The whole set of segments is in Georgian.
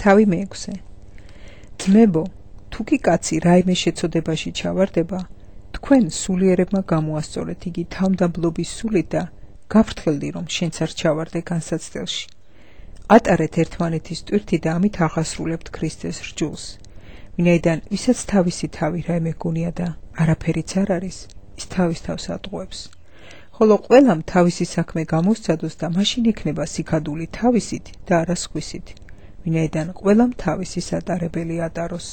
თავი მეექვსე. ძმებო, თუ კი კაცი რაიმე შეცოდებაში ჩავარდება, თქვენ სულიერებმა გამოასწორეთ იგი თავმდაბლობის სულით და გაფრთხილდი, რომ შენც არ ჩავარდე განსაცდელში. ატარეთ ერთმანეთის ტვირთი და ამით აღასრულებთ ქრისტეს რჯულს. ვინაიდან ვისაც თავისი თავი რაიმე გონია და არაფერიც არ არის, ის თავის თავს ატყუებს. ხოლო ყველამ თავისი საქმე გამოსცადოს და მაშინ იქნება სიქადული თავისით და არა სხვისით, ვინაიდან ყველამ თავისი სატარებელი ატაროს.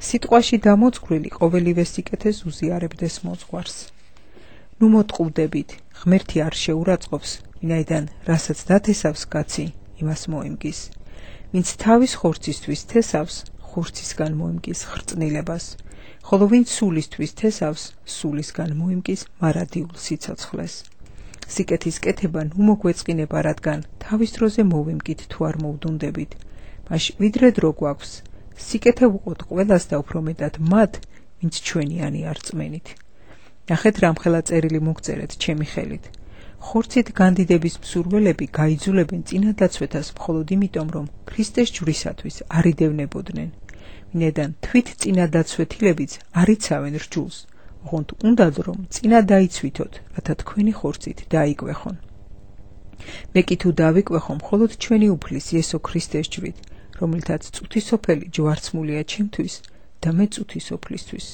სიტყვაში დამოწყვილი ყოველივე სიკეთეს უზიარებდეს მოძღვარს. ნუ მოტყუდებით, ღმერთი არ შეურაცხყოფს, ვინაიდან რასაც დათესავს კაცი, იმას მოიმგის. ვინც თავის ხორცისთვის თესავს, ხორცისგან მოიმგის ხრწნილებას, ხოლო ვინც სულისთვის თესავს, სულისგან მოიმგის მარადიულ სიცოცხლეს. სიკეთის კეთება ნუ მოგვეწყინება, რადგან თავის დროზე მოვიმგით თუ არ მოვდუნდებით, მაშინ ვიდრე დრო გვაქვს, სიკეთე ვუყოთ ყველას და უფრო მეტად მათ, ვინც ჩვენიანი არ წმენით. ნახეთ რამხელა წერილი მოგწერეთ ჩემი ხელით. ხორცით განდიდების მსურველები გაიძულებენ წინადაცვეთას მხოლოდ იმიტომ, რომ ქრისტეს ჯვრისათვის არ იდევნებოდნენ. ვინაიდან თვით წინადაცვეთილებიც არ იცავენ რჯულს, ოღონდ უნდათ რომ წინა დაიცვითოთ, რათა თქვენი ხორცით დაიკვეხონ. მე კი თუ დავიკვეხო მხოლოდ ჩვენი უფლის იესო ქრისტეს ჯვრით, რომელთაც წუთისოფელი ჯვარცმულია ჩემთვის და მე წუთისოფლისთვის.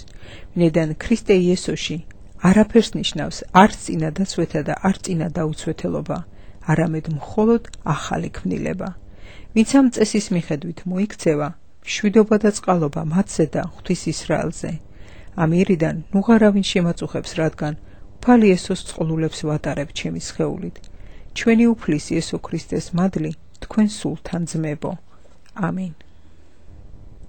ვინაიდან ქრისტე იესოში არაფერს ნიშნავს არც წინადაცვეთა და არც წინა დაუცვეთელობა, არამედ მხოლოდ ახალი ქმნილება. ვინც ამ წესის მიხედვით მოიქცევა, მშვიდობა და წყალობა მათზე და ღვთის ისრაელზე. ამიერიდან ნუღარავინ შემაწუხებს, რადგან უფალი იესოს წყლულებს ვატარებ ჩემი სხეულით. ჩვენი უფლის იესო ქრისტეს მადლი თქვენ სულთან ძმებო. ამინ.